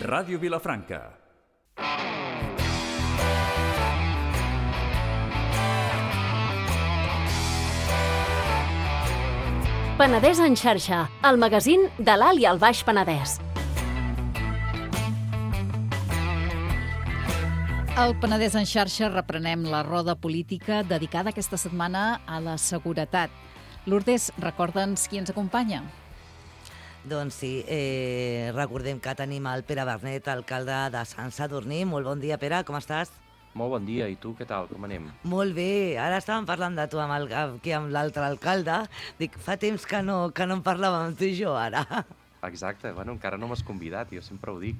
Ràdio Vilafranca. Penedès en xarxa, el magazín de l'Alt i el Baix Penedès. Al Penedès en xarxa reprenem la roda política dedicada aquesta setmana a la seguretat. Lourdes, recorda'ns qui ens acompanya. Doncs sí, recordem que tenim el Pere Bernet, alcalde de Sant Sadurní. Molt bon dia, Pere, com estàs? Molt bon dia, i tu què tal, com anem? Molt bé, ara estàvem parlant de tu aquí amb l'altre alcalde. Dic, fa temps que no en parlàvem tu i jo, ara. Exacte, bueno, encara no m'has convidat, jo sempre ho dic.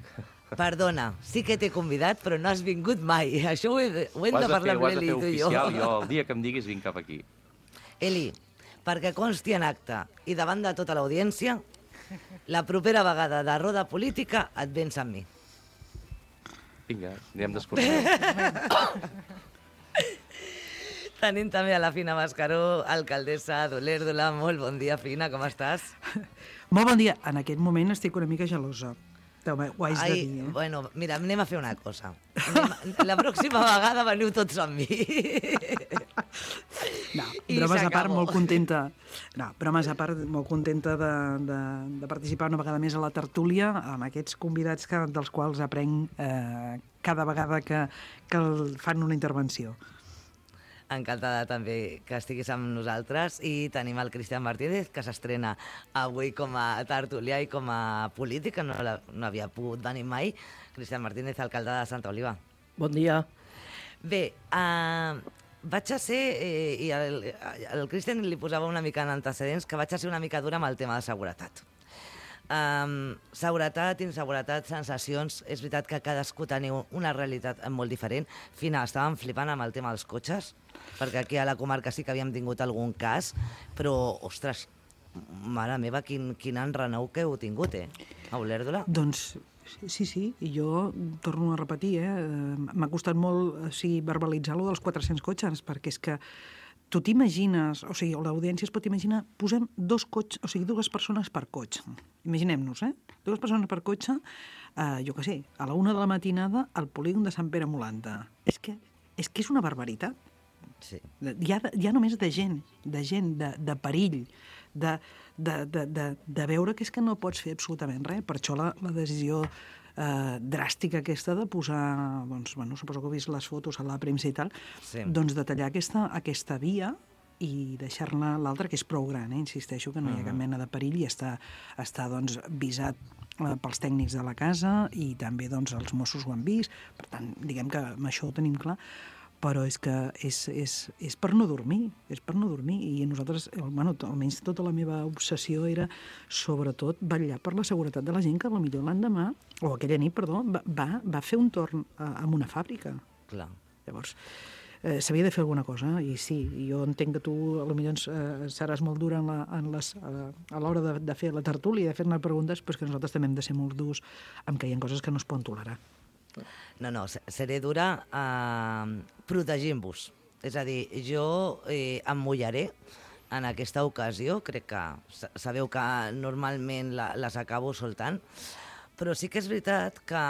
Perdona, sí que t'he convidat, però no has vingut mai. Això ho hem de parlar amb l'Eli, tu i jo. Jo el dia que em diguis vinc cap aquí. Eli, perquè consti en acte i davant de tota l'audiència, la propera vegada de roda política et vens amb mi. Vinga, anem d'excursió. Tenim també a la Fina Mascaró, alcaldessa d'Olèrdola. Molt bon dia, Fina, com estàs? Molt bon dia. En aquest moment estic una mica gelosa. Ho haig de dir, Bueno, mira, anem a fer una cosa. La pròxima vegada veniu tots amb mi. No, bromes a part, molt contenta. No, bromes a part, molt contenta de participar una vegada més a la tertúlia amb aquests convidats dels quals aprenc cada vegada que fan una intervenció. Encantada també que estiguis amb nosaltres, i tenim el Cristian Martínez, que s'estrena avui com a tertulià i com a polític, que no havia pogut venir mai. Cristian Martínez, alcalde de Santa Oliva. Bon dia. Bé, vaig a ser, i al Cristian li posava una mica en antecedents, que vaig a ser una mica dura amb el tema de seguretat. Seguretat, inseguretat, sensacions. És veritat que cadascú teniu una realitat molt diferent. Fina, estàvem flipant amb el tema dels cotxes, perquè aquí a la comarca sí que havíem tingut algun cas, però, ostres, mare meva, quin enrenou que heu tingut, a Olèrdola. Doncs sí, i jo torno a repetir, m'ha costat molt verbalitzar-lo dels 400 cotxes, perquè és que tu t'imagines, o sigui, l'audiència es pot imaginar, posem dues persones per cotxe. Imaginem-nos, dues persones per cotxe, jo què sé, a la 1 de la matinada al polígon de Sant Pere Molanta. És que és una barbaritat. Sí. Ja només de gent, de perill, de veure que és que no pots fer absolutament res. Per això la decisió dràstica aquesta de posar, doncs, suposo que heu vist les fotos a la premsa i tal, sí, doncs de tallar aquesta via i deixar-ne l'altra, que és prou gran, insisteixo que no hi ha cap mena de perill i està doncs, visat pels tècnics de la casa, i també doncs, els Mossos ho han vist. Per tant, diguem que amb això ho tenim clar, però és que és per no dormir, i nosaltres, almenys tota la meva obsessió era sobretot vetllar per la seguretat de la gent que potser l'endemà, o aquella nit, perdó, va fer un torn en una fàbrica. Clar. Llavors, s'havia de fer alguna cosa, i sí, jo entenc que tu potser seràs molt dura a l'hora de fer la tertúlia i de fer-ne preguntes, però és que nosaltres també hem de ser molt durs amb que hi ha coses que no es poden tolerar. No, seré dura protegint-vos. És a dir, jo em mullaré en aquesta ocasió. Crec que sabeu que normalment les acabo soltant, però sí que és veritat que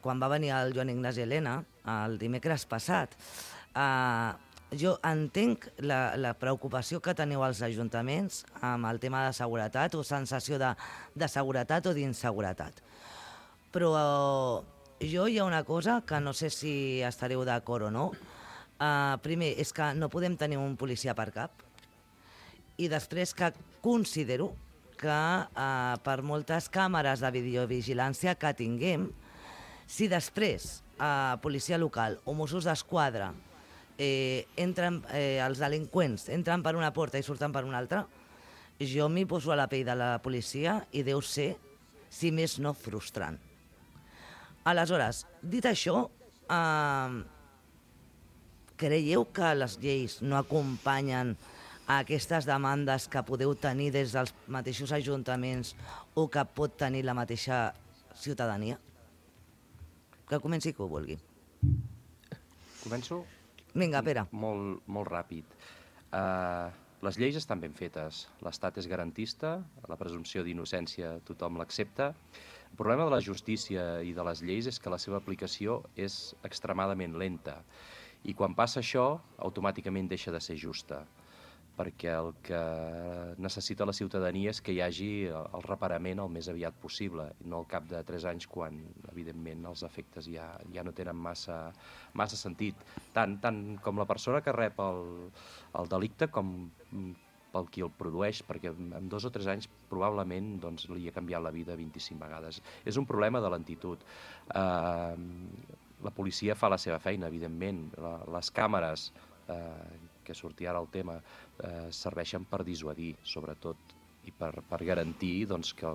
quan va venir el Joan Ignasi Elena el dimecres passat, jo entenc la preocupació que teniu als ajuntaments amb el tema de seguretat, o sensació de seguretat o d'inseguretat. Però jo hi ha una cosa que no sé si estareu d'acord o no. Primer, és que no podem tenir un policia per cap, i després que considero que per moltes càmeres de videovigilància que tinguem, si després policia local o Mossos d'Esquadra els delinqüents entren per una porta i surten per una altra, jo m'hi poso a la pell de la policia i deu ser, si més no, frustrant. Aleshores, dit això, creieu que les lleis no acompanyen a aquestes demandes que podeu tenir des dels mateixos ajuntaments o que pot tenir la mateixa ciutadania? Que comenci qui ho vulgui. Començo? Vinga, Pere. Molt ràpid. Les lleis estan ben fetes. L'Estat és garantista, la presumpció d'innocència tothom l'accepta. El problema de la justícia i de les lleis és que la seva aplicació és extremadament lenta. I quan passa això, automàticament deixa de ser justa, perquè el que necessita la ciutadania és que hi hagi el reparament el més aviat possible, no al cap de 3 anys quan, evidentment, els efectes ja no tenen massa sentit. Tant com la persona que rep el delicte com pel qui el produeix, perquè en 2 o 3 anys probablement li ha canviat la vida 25 vegades. És un problema de lentitud. La policia fa la seva feina, evidentment. Les càmeres, que sortia ara el tema, serveixen per dissuadir, sobretot, i per garantir que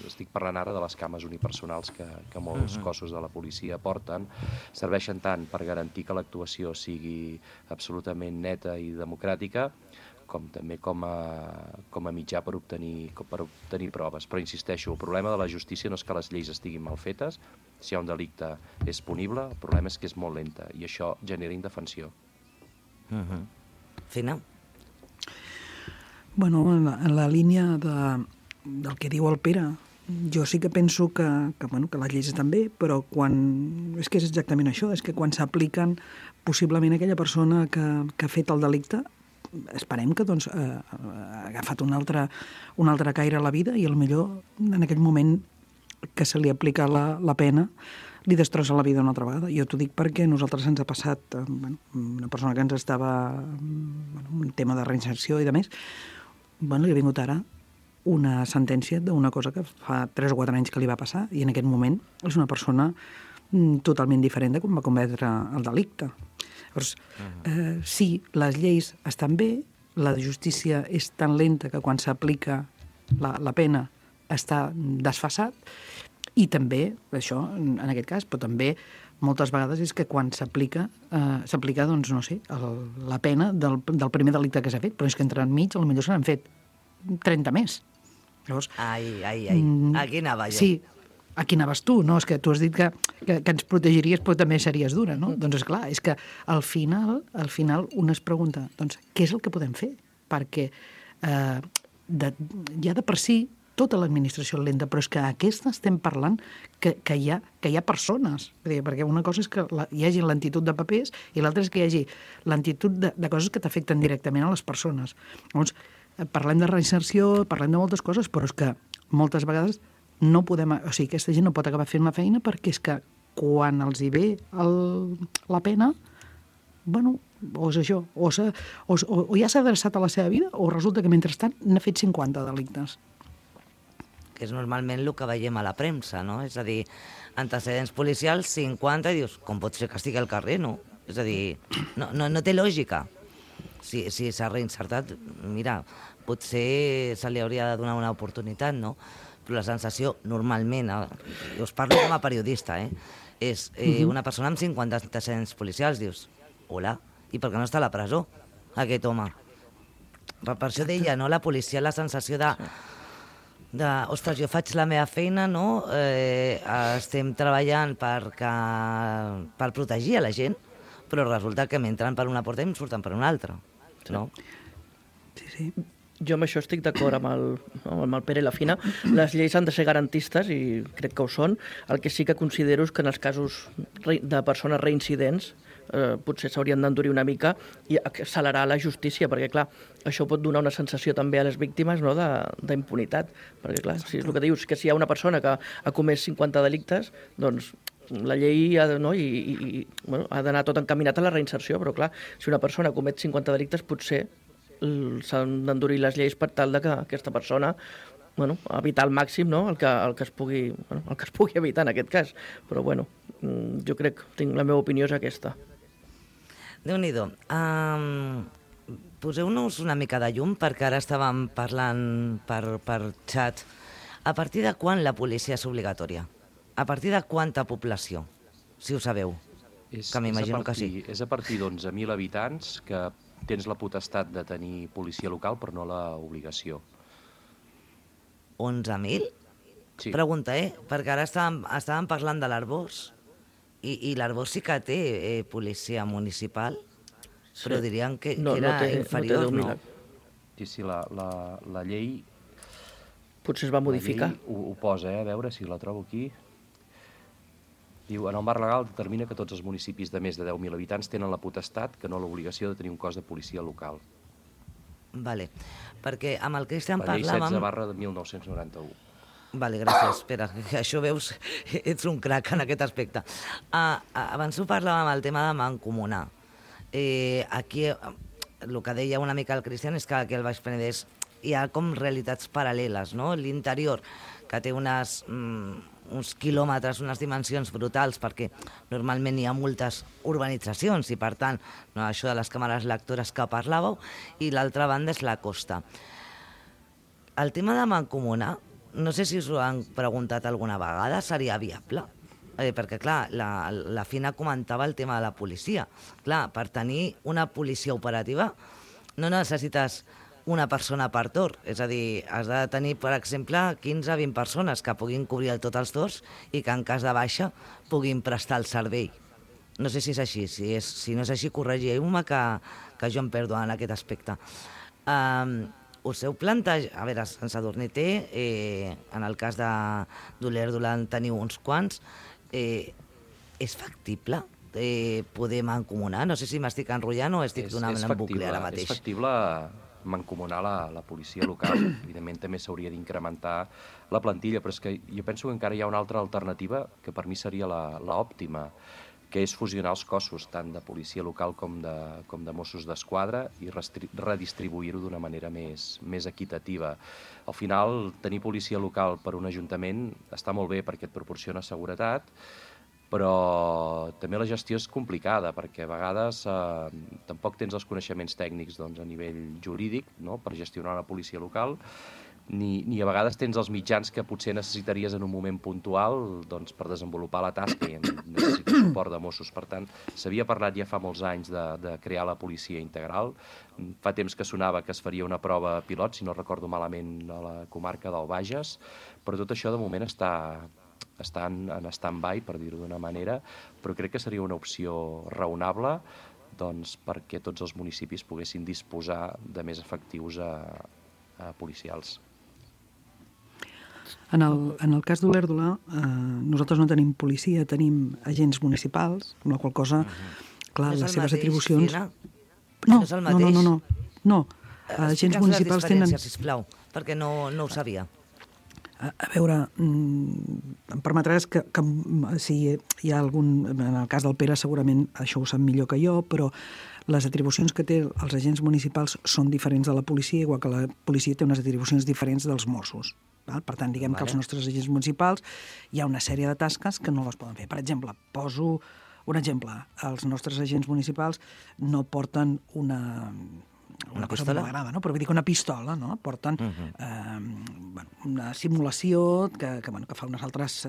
estic parlant ara de les càmeres unipersonals que molts cossos de la policia porten, serveixen tant per garantir que l'actuació sigui absolutament neta i democràtica, com també com a mitjà per obtenir proves. Però insisteixo, el problema de la justícia no és que les lleis estiguin mal fetes, si hi ha un delicte és punible, el problema és que és molt lenta i això genera indefensió. Fina? Bueno, en la línia del que diu el Pere, jo sí que penso que les lleis estan bé, però és que és exactament això, és que quan s'apliquen, possiblement aquella persona que ha fet el delicte, esperem que ha agafat un altre caire a la vida i potser en aquell moment que se li aplica la pena li destrossa la vida una altra vegada. Jo t'ho dic perquè a nosaltres ens ha passat una persona que ens estava un tema de reinserció i de més, li ha vingut ara una sentència d'una cosa que fa 3 o 4 anys que li va passar i en aquest moment és una persona totalment diferent de com va cometre el delicte. Llavors, sí, les lleis estan bé, la justícia és tan lenta que quan s'aplica la pena està desfasat, i també, això, en aquest cas, però també moltes vegades és que quan s'aplica, doncs, no sé, la pena del primer delicte que s'ha fet, però és que entremig potser se n'han fet 30 més. Llavors, aquí anava jo. Sí, aquí anaves tu, no? És que tu has dit que ens protegiries, però també series dura, no? Doncs, esclar, és que al final un es pregunta, doncs, què és el que podem fer? Perquè ja de per si tota l'administració lenta, però és que aquesta estem parlant que hi ha persones. Perquè una cosa és que hi hagi lentitud de papers i l'altra és que hi hagi lentitud de coses que t'afecten directament a les persones. Llavors, parlem de reinserció, parlem de moltes coses, però és que moltes vegades no podem... O sigui, aquesta gent no pot acabar fent la feina perquè és que quan els hi ve la pena, o és això, o ja s'ha adreçat a la seva vida o resulta que mentrestant n'ha fet 50 delictes. Que és normalment el que veiem a la premsa, no? És a dir, antecedents policials, 50, i dius, com pot ser que estigui al carrer, no? És a dir, no té lògica. Si s'ha reinsertat, mira, potser se li hauria de donar una oportunitat, no? Però la sensació, normalment, jo us parlo com a periodista, és una persona amb 50 antecedents policials, dius, hola, i per què no està a la presó, aquest home? Per això deia, no? La policia, la sensació ostres, jo faig la meva feina, no? Estem treballant per protegir a la gent, però resulta que m'entren per una porta i em surten per una altra, no? Sí. Jo amb això estic d'acord amb el Pere i la Fina. Les lleis han de ser garantistes i crec que ho són. El que sí que considero és que en els casos de persones reincidents potser s'haurien d'endurir una mica i accelerar la justícia, perquè, clar, això pot donar una sensació també a les víctimes, no?, d'impunitat. Perquè, clar, si és el que dius, que si hi ha una persona que ha comès 50 delictes, doncs la llei ha d'anar tot encaminat a la reinserció, però, clar, si una persona comet 50 delictes, potser s'han d'endurir les lleis per tal que aquesta persona evitar al màxim, no?, el que es pugui evitar en aquest cas. Però, jo crec, la meva opinió és aquesta. Déu-n'hi-do. Poseu-nos una mica de llum, perquè ara estàvem parlant per xat. A partir de quan la policia és obligatòria? A partir de quanta població, si ho sabeu? Que m'imagino que sí. És a partir d'11.000 habitants que tens la potestat de tenir policia local, però no l'obligació. 11.000? Sí. Pregunta, perquè ara estàvem parlant de l'Arboç, i l'Arboç sí que té policia municipal, però dirien que era inferior, no? Sí, la llei potser es va modificar. La llei ho posa, a veure si la trobo aquí. Diu, en el marc legal determina que tots els municipis de més de 10.000 habitants tenen la potestat, que no l'obligació de tenir un cos de policia local. Vale, perquè amb el Cristian La llei parlàvem... 16/1991. Vale, gràcies. Espera, que això veus, ets un crac en aquest aspecte. Abans ho parlàvem amb el tema de mancomunar. Aquí, el que deia una mica el Cristian és que aquí al Baix Penedès hi ha com realitats paral·leles, no? L'interior, que té uns quilòmetres, unes dimensions brutals, perquè normalment hi ha moltes urbanitzacions i, per tant, no, això de les càmeres lectores que parlàveu, i l'altra banda és la costa. El tema de mancomunar, no sé si us ho han preguntat alguna vegada, seria viable? Perquè, clar, la Fina comentava el tema de la policia. Clar, per tenir una policia operativa no necessites una persona per torn. És a dir, has de tenir, per exemple, 15-20 persones que puguin cobrir tots els torns i que en cas de baixa puguin prestar el servei. No sé si és així. Si no és així, corregiu-me que jo em perdo en aquest aspecte. Us heu plantejat... A veure, en Sadurní té, en el cas d'Olèrdola en teniu uns quants. És factible poder mancomunar? No sé si m'estic enrotllant o estic donant en bucle ara mateix. És factible mancomunar la policia local. Evidentment també s'hauria d'incrementar la plantilla, però és que jo penso que encara hi ha una altra alternativa que per mi seria l'òptima, que és fusionar els cossos, tant de policia local com de Mossos d'Esquadra, i redistribuir-ho d'una manera més equitativa. Al final, tenir policia local per un ajuntament està molt bé perquè et proporciona seguretat, però també la gestió és complicada, perquè a vegades tampoc tens els coneixements tècnics a nivell jurídic, no?, per gestionar una policia local, ni a vegades tens els mitjans que potser necessitaries en un moment puntual per desenvolupar la tasca, i necessites suport de Mossos. Per tant, s'havia parlat ja fa molts anys de crear la policia integral. Fa temps que sonava que es faria una prova pilot, si no recordo malament, a la comarca del Bages, però tot això de moment està en stand-by, per dir-ho d'una manera, però crec que seria una opció raonable perquè tots els municipis poguessin disposar de més efectius policials. En el cas d'Olèrdola, nosaltres no tenim policia, tenim agents municipals, amb la qual cosa, clar, les seves atribucions... No és el mateix? No. Agents municipals tenen... Explica'ns les diferències, sisplau, perquè no ho sabia. A veure, em permetràs que si hi ha algun... En el cas del Pere segurament això ho sap millor que jo, però les atribucions que té els agents municipals són diferents de la policia, igual que la policia té unes atribucions diferents dels Mossos. Per tant, diguem que els nostres agents municipals hi ha una sèrie de tasques que no les poden fer. Per exemple, poso un exemple. Els nostres agents municipals no porten una cosa que m'agrada, no? Però vull dir que una pistola, no? Porten una simulació que fa uns altres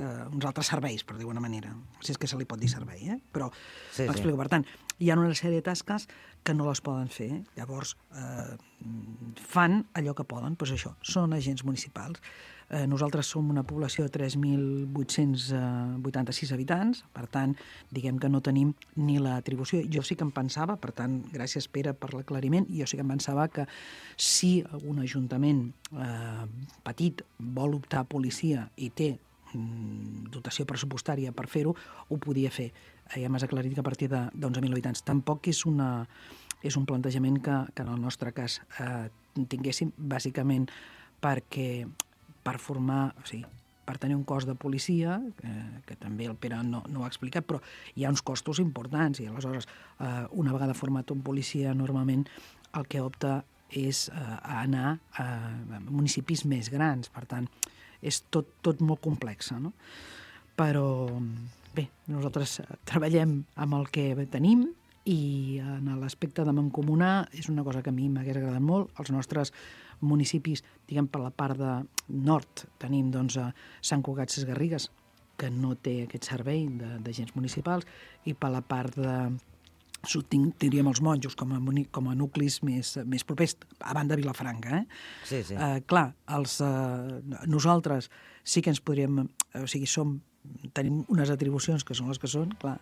serveis, per dir-ho d'una manera. Si és que se li pot dir servei, però m'explico. Per tant, hi ha una sèrie de tasques que no les poden fer. Llavors, fan allò que poden, doncs això, són agents municipals. Nosaltres som una població de 3.886 habitants, per tant, diguem que no tenim ni l'atribució. Jo sí que em pensava, per tant, gràcies Pere per l'aclariment, jo sí que em pensava que si algun ajuntament petit vol optar a policia i té dotació pressupostària per fer-ho, ho podia fer. Ja m'has aclarit que a partir d'11.000 habitants. Tampoc és un plantejament que en el nostre cas tinguéssim, bàsicament perquè per formar, o sigui, per tenir un cos de policia, que també el Pere no ho ha explicat, però hi ha uns costos importants, i aleshores, una vegada format un policia, normalment el que opta és anar a municipis més grans, per tant, és tot molt complex, no? Però, bé, nosaltres treballem amb el que tenim, i en l'aspecte de mancomunar és una cosa que a mi m'hagués agradat molt. Els nostres municipis, diguem, per la part de nord, tenim Sant Cugat Sesgarrigues, que no té aquest servei d'agents municipals, i per la part de sud tindríem els Monjos com a nuclis més propers, a banda de Vilafranca. Sí. Clar, nosaltres sí que ens podríem... O sigui, tenim unes atribucions que són les que són, clar,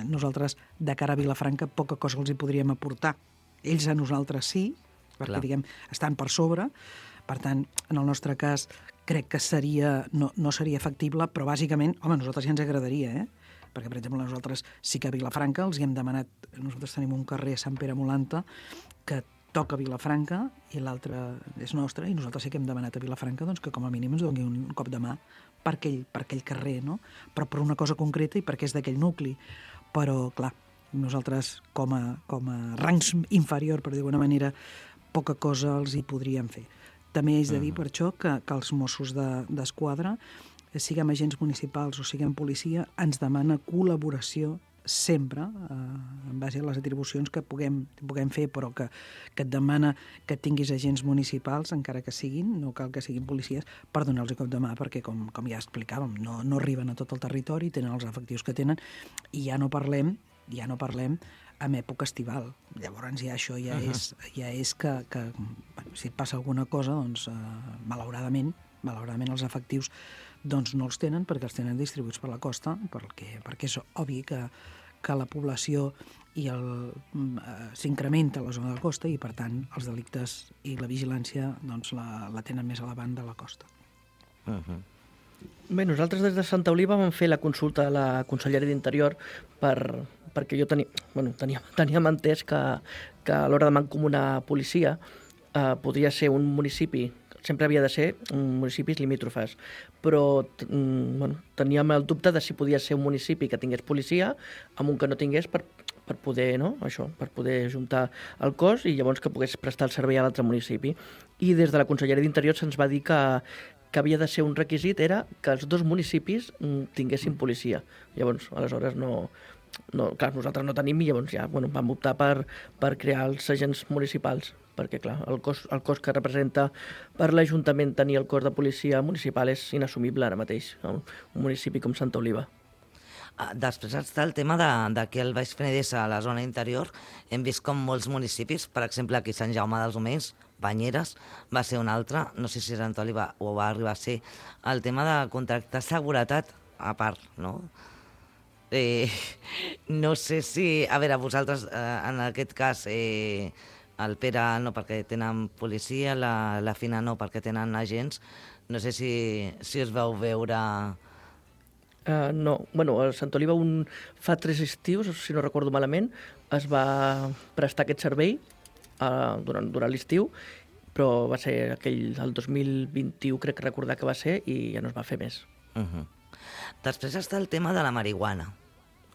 nosaltres de cara a Vilafranca poca cosa els hi podríem aportar. Ells a nosaltres sí, perquè, diguem, estan per sobre. Per tant, en el nostre cas, crec que no seria factible, però bàsicament, home, a nosaltres ja ens agradaria, perquè, per exemple, nosaltres sí que a Vilafranca els hi hem demanat, nosaltres tenim un carrer a Sant Pere Molanta que toca a Vilafranca i l'altre és nostre, i nosaltres sí que hem demanat a Vilafranca doncs, que com a mínim ens doni un cop de mà per aquell carrer, no? Però per una cosa concreta i perquè és d'aquell nucli. Però, clar, nosaltres com a rangs inferior, per dir d'alguna manera, poca cosa els hi podríem fer. També és de dir per això que els Mossos d'Esquadra, siguem agents municipals o siguem policia, ens demana col·laboració sempre, en base a les atribucions que puguem fer, però que et demana que tinguis agents municipals, encara que siguin, no cal que siguin policies, per donar-los cop de mà, perquè, com ja explicàvem, no arriben a tot el territori, tenen els efectius que tenen, i ja no parlem en època estival. Llavors això ja és que si et passa alguna cosa, doncs, malauradament els efectius doncs no els tenen, perquè els tenen distribuïts per la costa, perquè és obvi que la població s'incrementa a la zona de la costa i, per tant, els delictes i la vigilància doncs, la tenen més a la banda de la costa. Bé, nosaltres des de Santa Oliva vam fer la consulta a la Conselleria d'Interior perquè jo teníem entès que a l'hora de mancomunar policia podria ser un municipi, sempre havia de ser municipis limítrofes, però teníem el dubte de si podia ser un municipi que tingués policia amb un que no tingués per poder, per poder juntar el cos i llavors que pogués prestar el servei a l'altre municipi. I des de la Conselleria d'Interior se'ns va dir que havia de ser un requisit, era que els dos municipis tinguessin policia. Llavors, aleshores, clar, nosaltres no tenim i llavors ja vam optar per crear els agents municipals, perquè, clar, el cost que representa per l'Ajuntament tenir el cos de policia municipal és inassumible ara mateix, un municipi com Santa Oliva. Després està el tema de que el Baix Penedès, a la zona interior, hem vist com molts municipis, per exemple, aquí Sant Jaume dels Omells, Banyeres, va ser un altre, no sé si Sant Oliva ho va arribar a ser, el tema de contractar seguretat a part, no? No sé si... A veure, vosaltres, en aquest cas, el Pere no perquè tenen policia, la Fina no perquè tenen agents, no sé si us vau veure... No, a Sant Oliva fa 3 estius, si no recordo malament, es va prestar aquest servei durant l'estiu, però va ser el 2021, crec que recordar que va ser, i ja no es va fer més. Després està el tema de la marihuana,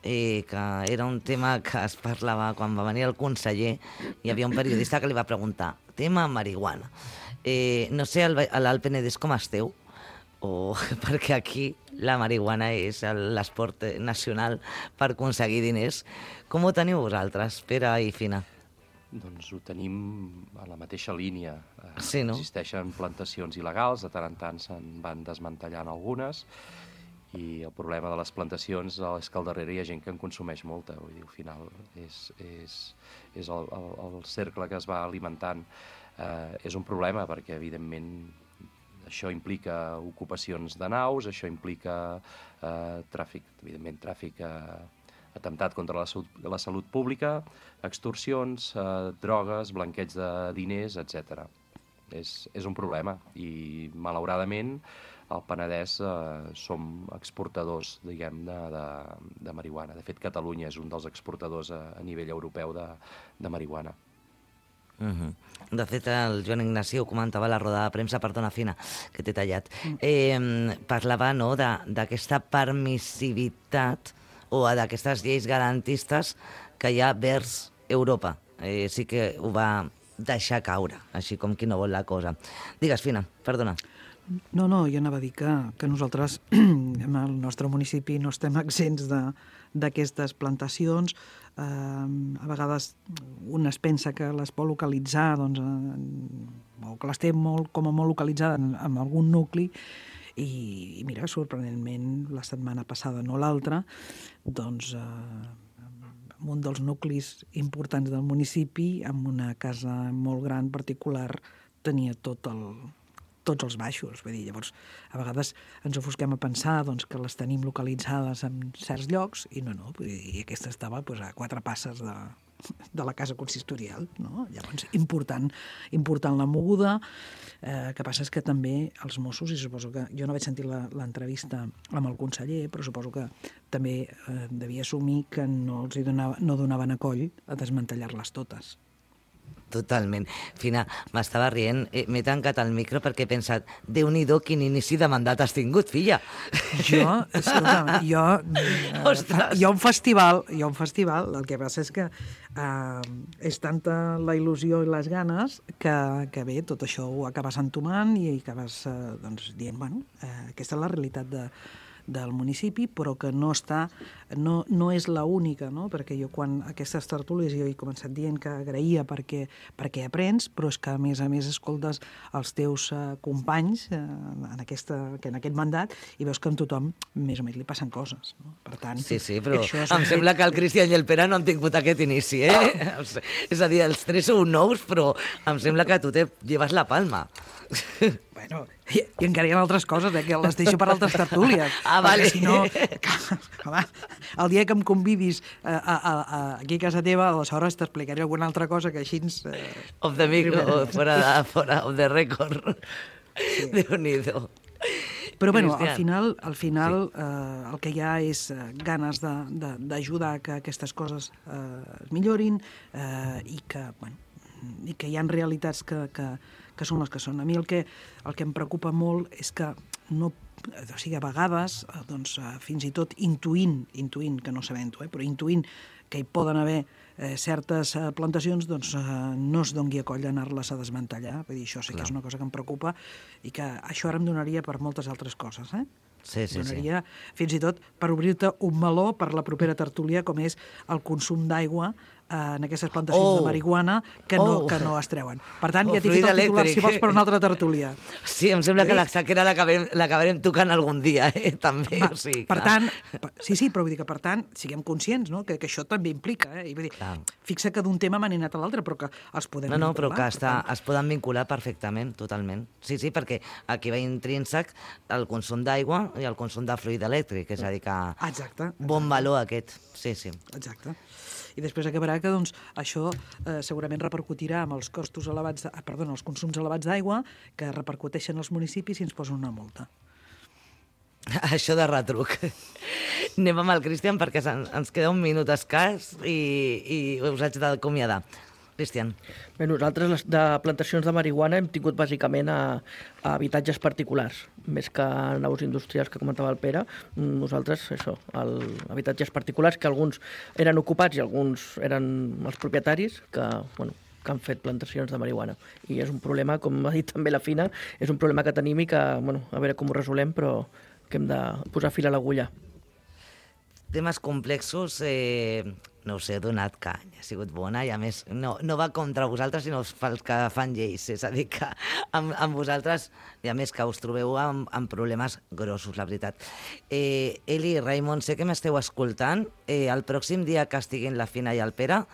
que era un tema que es parlava quan va venir el conseller, hi havia un periodista que li va preguntar, tema marihuana. No sé a l'Alt Penedès com esteu, perquè aquí la marihuana és l'esport nacional per aconseguir diners. Com ho teniu vosaltres, Pere i Fina? Doncs ho tenim a la mateixa línia. Sí, no? Existeixen plantacions il·legals, de tant en tant se'n van desmantellant algunes, i el problema de les plantacions és que al darrere hi ha gent que en consumeix molta. Vull dir, al final és el cercle que es va alimentant. És un problema perquè, evidentment, això implica ocupacions de naus, això implica tràfic atemptat contra la salut pública, extorsions, drogues, blanqueig de diners, etc. És un problema i, malauradament, al Penedès som exportadors, diguem-ne, de marihuana. De fet, Catalunya és un dels exportadors a nivell europeu de marihuana. De fet, el Joan Ignaci ho comentava a la roda de premsa, perdona, Fina, que t'he tallat. Parlava d'aquesta permissivitat o d'aquestes lleis garantistes que hi ha vers Europa. Sí que ho va deixar caure, així com qui no vol la cosa. Digues, Fina, perdona. No, jo anava a dir que nosaltres, en el nostre municipi, no estem exempts d'aquestes plantacions. A vegades un es pensa que les pot localitzar, doncs, o que les té com a molt localitzada en algun nucli, i mira, sorprenentment, la setmana passada, no l'altra, doncs, en un dels nuclis importants del municipi, amb una casa molt gran particular, tenia tots els baixos. Vull dir, llavors, a vegades ens ofusquem a pensar doncs, que les tenim localitzades en certs llocs i no. I aquesta estava a 4 passes de la casa consistorial, no? Llavors, important la moguda. Que passa és que també els Mossos, i suposo que jo no vaig sentir l'entrevista amb el conseller, però suposo que també devia assumir que no donaven a coll a desmantellar-les totes. Totalment. Fina, m'estava rient, m'he tancat el micro perquè he pensat, Déu-n'hi-do, quin inici de mandat has tingut, filla. Hi ha un festival, el que passa és que és tanta la il·lusió i les ganes que bé, tot això ho acabes entomant i acabes dient, bueno, aquesta és la realitat del municipi, però que no és l'única, no? Perquè jo quan aquestes tertúlies jo he començat dient que agraïa perquè aprens, però és que a més escoltes els teus companys en aquest mandat i veus que amb tothom més o menys li passen coses, no? Per tant, sí, però em sembla que el Cristian i el Pere no han tingut aquest inici, És a dir, els tres sou nous, però em sembla que tu te lleves la palma. Bueno, i encara hi ha altres coses, que les deixo per altres tertúlies. Vale. Si no, home, el dia que em convidis aquí a casa teva, aleshores t'explicaré alguna altra cosa que així... Off the micro, fora of the record. Sí. Déu-n'hi-do. Però bueno, al final el que hi ha és ganes d'ajudar que aquestes coses es millorin i que hi ha realitats que són les que són. A mi el que em preocupa molt és que a vegades, fins i tot intuint, que no sabent-ho, però intuint que hi poden haver certes plantacions, no es doni a coll d'anar-les a desmantellar. Vull dir, això sí que és una cosa que em preocupa i que això ara em donaria per moltes altres coses, Sí. Donaria fins i tot per obrir-te un meló per la propera tertúlia, com és el consum d'aigua en aquestes plantacions de marihuana que no es treuen. Per tant, ja t'he fet el titular, si vols, per una altra tertúlia. Sí, em sembla que la sequera l'acabarem tocant algun dia, també. Per tant, sí, però vull dir que, per tant, siguem conscients, no?, que això també implica. I vull dir, fixa que d'un tema m'han anat a l'altre, però que els podem vincular. No, però que es poden vincular perfectament, totalment. Sí, perquè aquí va intrínsec el consum d'aigua i el consum de fluid elèctric, és a dir, que bon valor aquest. Sí. Exacte. I després acabarà que això segurament repercutirà amb els costos elevats, els consums elevats d'aigua, que repercuteixen als municipis i ens posen una multa. Això de retruc. Anem amb el Cristian perquè ens queda un minut escàs i us haig d'acomiadar. Cristian. Bé, nosaltres de plantacions de marihuana hem tingut bàsicament a habitatges particulars, més que a naus industrials que comentava el Pere. Nosaltres, habitatges particulars que alguns eren ocupats i alguns eren els propietaris que han fet plantacions de marihuana. I és un problema, com ha dit també la Fina, és un problema que tenim i que, a veure com ho resolem, però que hem de posar fil a l'agulla. Temes complexos, no ho sé, he donat canya, ha sigut bona i a més no va contra vosaltres sinó els que fan lleis, és a dir que amb vosaltres, i a més que us trobeu amb problemes grossos, la veritat. Eli, Raimon, sé que m'esteu escoltant, el pròxim dia que estiguin la Fina i el Pere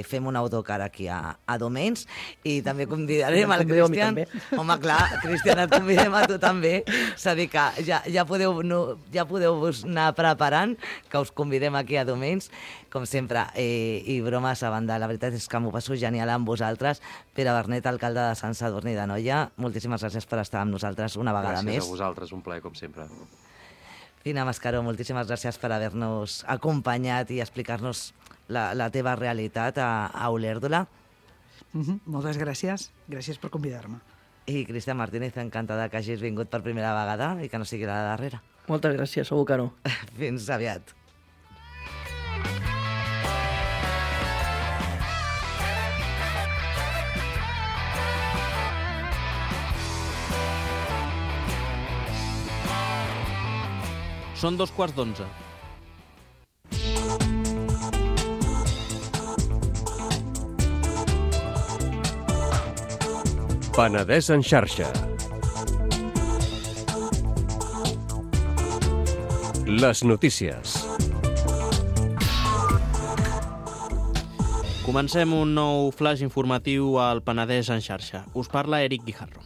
fem un autocar aquí a Domains i també convidarem el Cristian. Home, clar, Cristian, et convidem a tu també. És a dir que ja podeu anar preparant que us convidem aquí a Domains, com sempre, i bromes a banda. La veritat és que m'ho passo genial amb vosaltres. Pere Bernet, alcalde de Sant Sadurní d'Anoia, moltíssimes gràcies per estar amb nosaltres una vegada més. Gràcies a vosaltres, un plaer, com sempre. Fina Mascaró, moltíssimes gràcies per haver-nos acompanyat i explicar-nos la teva realitat a Olèrdola. Moltes gràcies. Gràcies per convidar-me. I Cristian Martínez, encantada que hagis vingut per primera vegada i que no sigui la darrera. Moltes gràcies, segur que no. Fins aviat. Són 11:15. Penedès en xarxa. Les notícies. Comencem un nou flash informatiu al Penedès en xarxa. Us parla Eric Guijarro.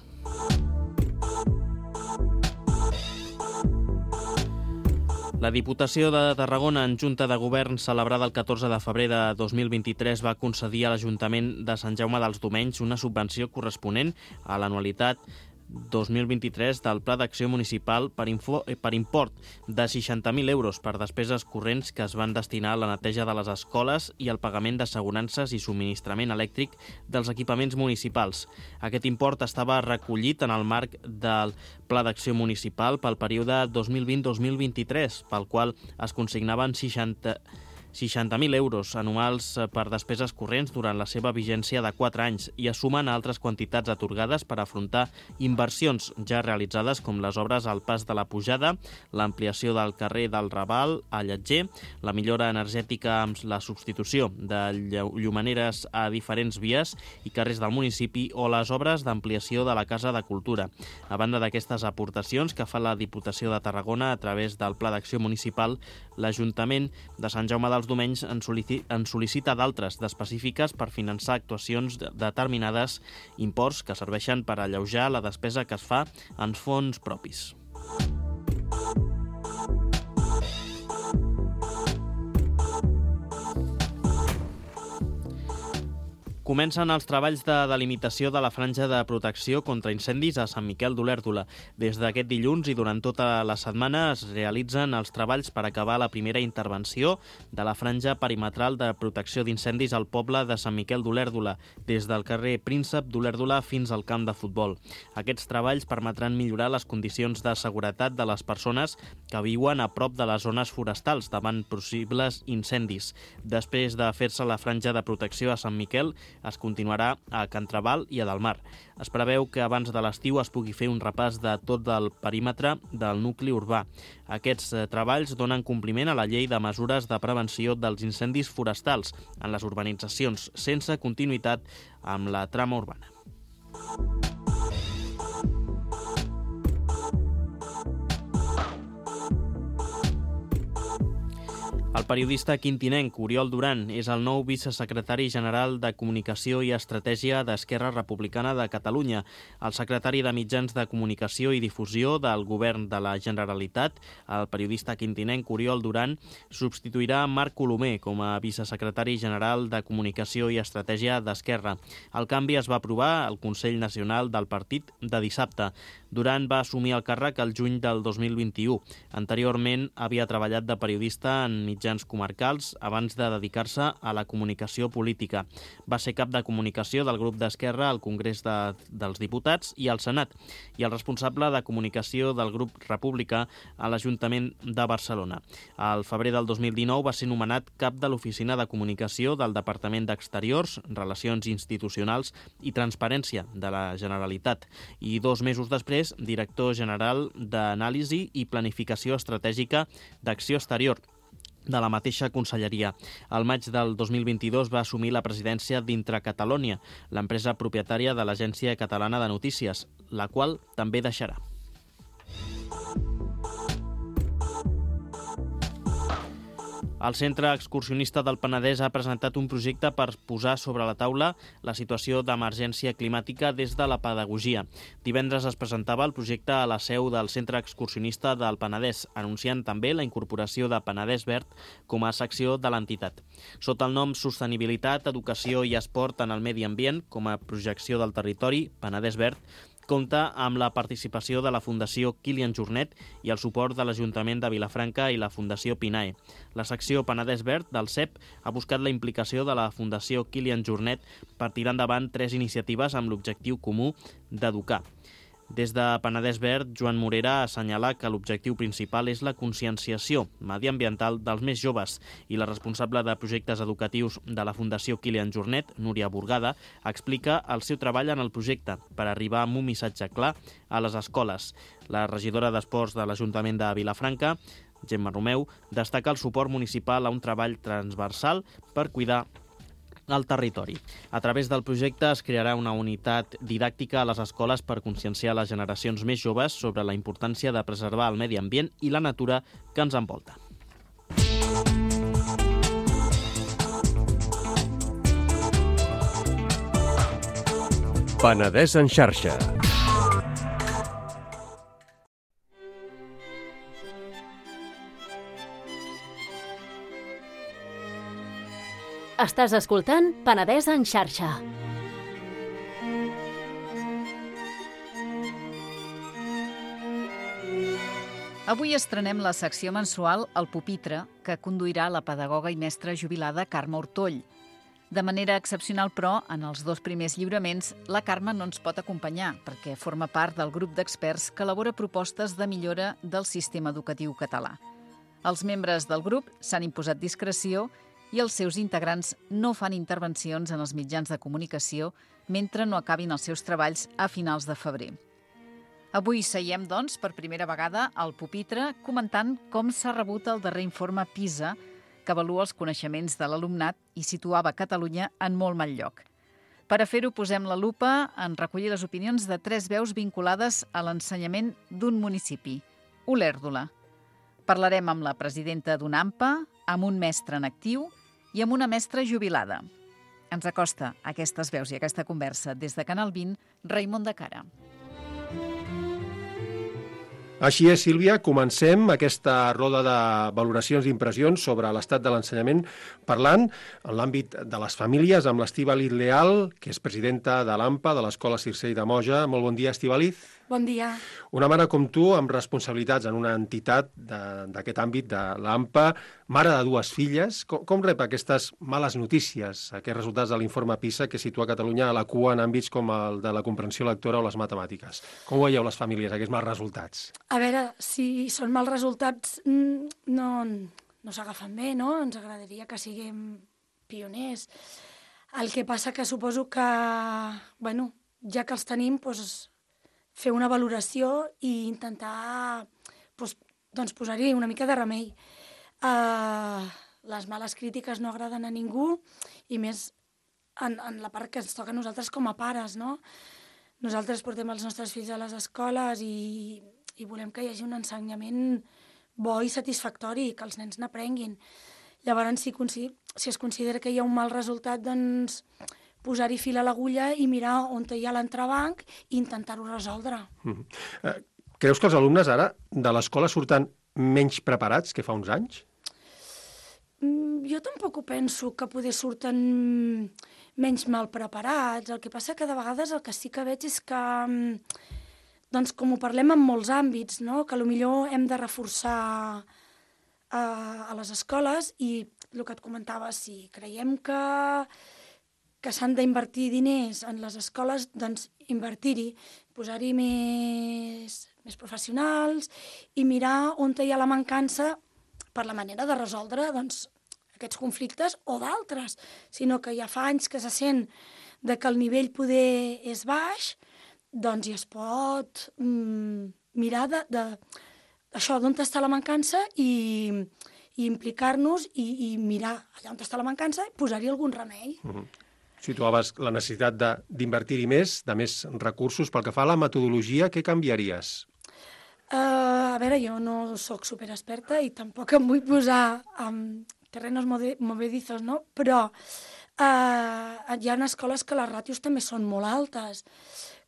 La Diputació de Tarragona, en Junta de Govern celebrada el 14 de febrer de 2023, va concedir a l'Ajuntament de Sant Jaume dels Domenys una subvenció corresponent a l'anualitat 2023 del Pla d'Acció Municipal per import de 60.000 euros per despeses corrents que es van destinar a la neteja de les escoles i al pagament d'assegurances i subministrament elèctric dels equipaments municipals. Aquest import estava recollit en el marc del Pla d'Acció Municipal pel període 2020-2023, pel qual es consignaven 60.000 euros anuals per despeses corrents durant la seva vigència de 4 anys i es sumen a altres quantitats atorgades per afrontar inversions ja realitzades com les obres al Pas de la Pujada, l'ampliació del carrer del Raval a Lletger, la millora energètica amb la substitució de llumaneres a diferents vies i carrers del municipi o les obres d'ampliació de la Casa de Cultura. A banda d'aquestes aportacions que fa la Diputació de Tarragona a través del Pla d'Acció Municipal, l'Ajuntament de Sant Jaume dels Domenys en sol·licita d'altres d'específiques per finançar actuacions determinades, imports que serveixen per alleujar la despesa que es fa en fons propis. Comencen els treballs de delimitació de la franja de protecció contra incendis a Sant Miquel d'Olèrdola. Des d'aquest dilluns i durant tota la setmana es realitzen els treballs per acabar la primera intervenció de la franja perimetral de protecció d'incendis al poble de Sant Miquel d'Olèrdola, des del carrer Príncep d'Olèrdola fins al camp de futbol. Aquests treballs permetran millorar les condicions de seguretat de les persones que viuen a prop de les zones forestals davant possibles incendis. Després de fer-se la franja de protecció a Sant Miquel, es continuarà a Can Traval i a Delmar. Es preveu que abans de l'estiu es pugui fer un repàs de tot el perímetre del nucli urbà. Aquests treballs donen compliment a la llei de mesures de prevenció dels incendis forestals en les urbanitzacions sense continuïtat amb la trama urbana. El periodista quintinenc Oriol Duran és el nou vicesecretari general de Comunicació i Estratègia d'Esquerra Republicana de Catalunya. El secretari de Mitjans de Comunicació i Difusió del Govern de la Generalitat, el periodista quintinenc Oriol Duran, substituirà Marc Colomer com a vicesecretari general de Comunicació i Estratègia d'Esquerra. El canvi es va aprovar al Consell Nacional del Partit de dissabte. Duran va assumir el càrrec el juny del 2021. Anteriorment havia treballat de periodista en mitjans comarcals abans de dedicar-se a la comunicació política. Va ser cap de comunicació del grup d'Esquerra al Congrés dels Diputats i al Senat i el responsable de comunicació del grup republicà a l'Ajuntament de Barcelona. Al febrer del 2019 va ser nomenat cap de l'Oficina de Comunicació del Departament d'Exteriors, Relacions Institucionals i Transparència de la Generalitat i 2 mesos després director general d'Anàlisi i Planificació Estratègica d'Acció Exterior de la mateixa conselleria. Al maig del 2022 va assumir la presidència d'Intracatalonia, l'empresa propietària de l'Agència Catalana de Notícies, la qual també deixarà. El Centre Excursionista del Penedès ha presentat un projecte per posar sobre la taula la situació d'emergència climàtica des de la pedagogia. Divendres es presentava el projecte a la seu del Centre Excursionista del Penedès, anunciant també la incorporació de Penedès Verd com a secció de l'entitat. Sota el nom Sostenibilitat, Educació i Esport en el Medi Ambient, com a projecció del territori, Penedès Verd compta amb la participació de la Fundació Kilian Jornet i el suport de l'Ajuntament de Vilafranca i la Fundació Pinae. La secció Penedès Verd del CEP ha buscat la implicació de la Fundació Kilian Jornet per tirar endavant 3 iniciatives amb l'objectiu comú d'educar. Des de Penedès Verd, Joan Morera assenyala que l'objectiu principal és la conscienciació mediambiental dels més joves i la responsable de projectes educatius de la Fundació Kilian Jornet, Núria Burgada, explica el seu treball en el projecte per arribar amb un missatge clar a les escoles. La regidora d'Esports de l'Ajuntament de Vilafranca, Gemma Romeu, destaca el suport municipal a un treball transversal per cuidar al territori. A través del projecte es crearà una unitat didàctica a les escoles per conscienciar les generacions més joves sobre la importància de preservar el medi ambient i la natura que ens envolta. Penedès en xarxa. Estàs escoltant Penedès en xarxa. Avui estrenem la secció mensual El Pupitre, que conduirà la pedagoga i mestra jubilada Carme Ortoll. De manera excepcional, però, en els 2 primers lliuraments, la Carme no ens pot acompanyar perquè forma part del grup d'experts que elabora propostes de millora del sistema educatiu català. Els membres del grup s'han imposat discreció i els seus integrants no fan intervencions en els mitjans de comunicació mentre no acabin els seus treballs a finals de febrer. Avui seiem, doncs, per primera vegada al pupitre comentant com s'ha rebut el darrer informe PISA, que avalua els coneixements de l'alumnat i situava Catalunya en molt mal lloc. Per a fer-ho, posem la lupa en recollir les opinions de 3 veus vinculades a l'ensenyament d'un municipi, Olèrdola. Parlarem amb la presidenta d'UNAMPA, amb un mestre en actiu i amb una mestra jubilada. Ens acosta aquestes veus i aquesta conversa des de Canal 20, Raimon de Cara. Així és, Sílvia, comencem aquesta roda de valoracions i impressions sobre l'estat de l'ensenyament parlant en l'àmbit de les famílies amb l'Estíbaliz Leal, que és presidenta de l'AMPA, de l'Escola Circell de Moja. Molt bon dia, Estíbaliz. Bon dia. Una mare com tu, amb responsabilitats en una entitat d'aquest àmbit, de l'AMPA, mare de 2 filles, com rep aquestes males notícies, aquests resultats de l'informe PISA que situa Catalunya a la cua en àmbits com el de la comprensió lectora o les matemàtiques? Com ho veieu les famílies, aquests mals resultats? A veure, si són mals resultats no s'agafen bé, no? Ens agradaria que siguem pioners. El que passa que suposo que, bueno, ja que els tenim, doncs, fer una valoració i intentar doncs, posar-hi una mica de remei. Les males crítiques no agraden a ningú i més en la part que ens toca a nosaltres com a pares, no? Nosaltres portem els nostres fills a les escoles i volem que hi hagi un ensenyament bo i satisfactori, que els nens n'aprenguin. Llavors, si es considera que hi ha un mal resultat, doncs posar-hi fil a l'agulla i mirar on hi ha l'entrebanc i intentar-ho resoldre. Creus que els alumnes ara de l'escola surten menys preparats que fa uns anys? Jo tampoc ho penso, que poder surten menys mal preparats. El que passa que de vegades el que sí que veig és que, doncs com ho parlem en molts àmbits, no? Que potser hem de reforçar a les escoles i el que et comentava, si creiem que s'han d'invertir diners en les escoles, doncs invertir-hi, posar-hi més professionals i mirar on hi ha la mancança per la manera de resoldre doncs, aquests conflictes o d'altres, sinó que ja fa anys que se sent que el nivell poder és baix, doncs ja es pot mirar d'això, d'on està la mancança i implicar-nos i mirar allà on està la mancança i posar-hi algun remei. Situaves la necessitat d'invertir-hi més, de més recursos. Pel que fa a la metodologia, què canviaries? A veure, jo no sóc superexperta i tampoc em vull posar en terrenos movedizos, no? Però hi ha escoles que les ràtios també són molt altes.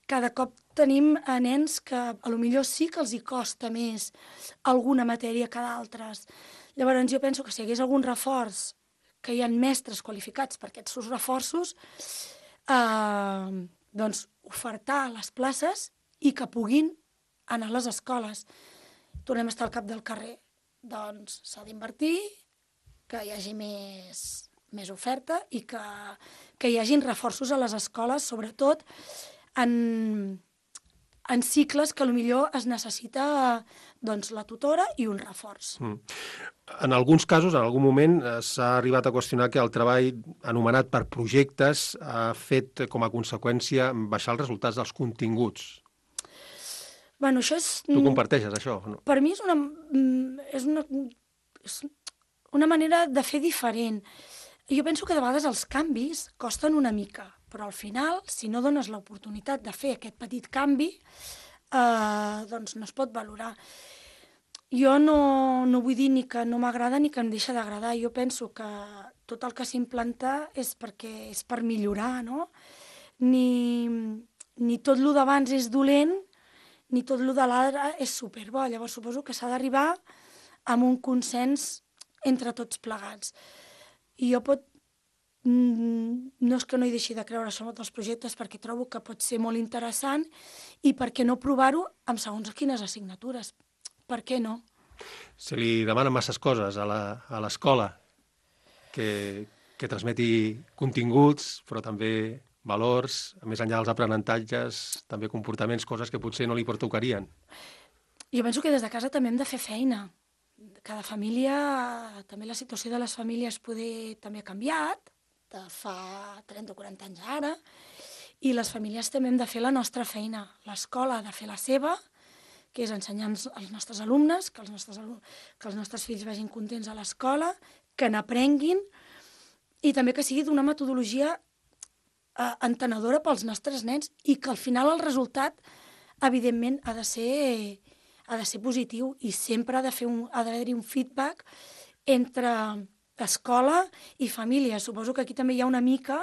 Cada cop tenim nens que potser sí que els hi costa més alguna matèria que d'altres. Llavors jo penso que si hi hagués algun reforç, que hi ha mestres qualificats per aquests reforços, doncs ofertar les places i que puguin anar a les escoles. Tornem a estar al cap del carrer. Doncs s'ha d'invertir, que hi hagi més oferta i que hi hagin reforços a les escoles, sobretot en cicles que potser es necessita doncs, la tutora i un reforç. En alguns casos, en algun moment, s'ha arribat a qüestionar que el treball anomenat per projectes ha fet com a conseqüència baixar els resultats dels continguts. Bueno, això és... Tu comparteixes això? No? Per mi és una manera de fer diferent. Jo penso que de vegades els canvis costen una mica, però al final, si no dones l'oportunitat de fer aquest petit canvi, doncs no es pot valorar. Jo no vull dir ni que no m'agrada ni que em deixa d'agradar. Jo penso que tot el que s'implanta és perquè és per millorar, no? Ni tot el d'abans és dolent, ni tot el de l'ara és superbo. Llavors suposo que s'ha d'arribar amb un consens entre tots plegats. I jo no és que no hi deixi de creure sobre els projectes, perquè trobo que pot ser molt interessant, i per què no provar-ho amb segons quines assignatures? Per què no? Se li demanen masses coses a l'escola, que transmeti continguts, però també valors, més enllà dels aprenentatges, també comportaments, coses que potser no li pertocarien. Jo penso que des de casa també hem de fer feina. Cada família, també la situació de les famílies també ha canviat, de fa 30 o 40 anys ara, i les famílies també hem de fer la nostra feina. L'escola ha de fer la seva, que és ensenyar als nostres alumnes, que els nostres fills vagin contents a l'escola, que n'aprenguin, i també que sigui d'una metodologia entenedora pels nostres nens, i que al final el resultat, evidentment, ha de ser positiu, i sempre ha d'haver-hi un feedback entre escola i família. Suposo que aquí també hi ha una mica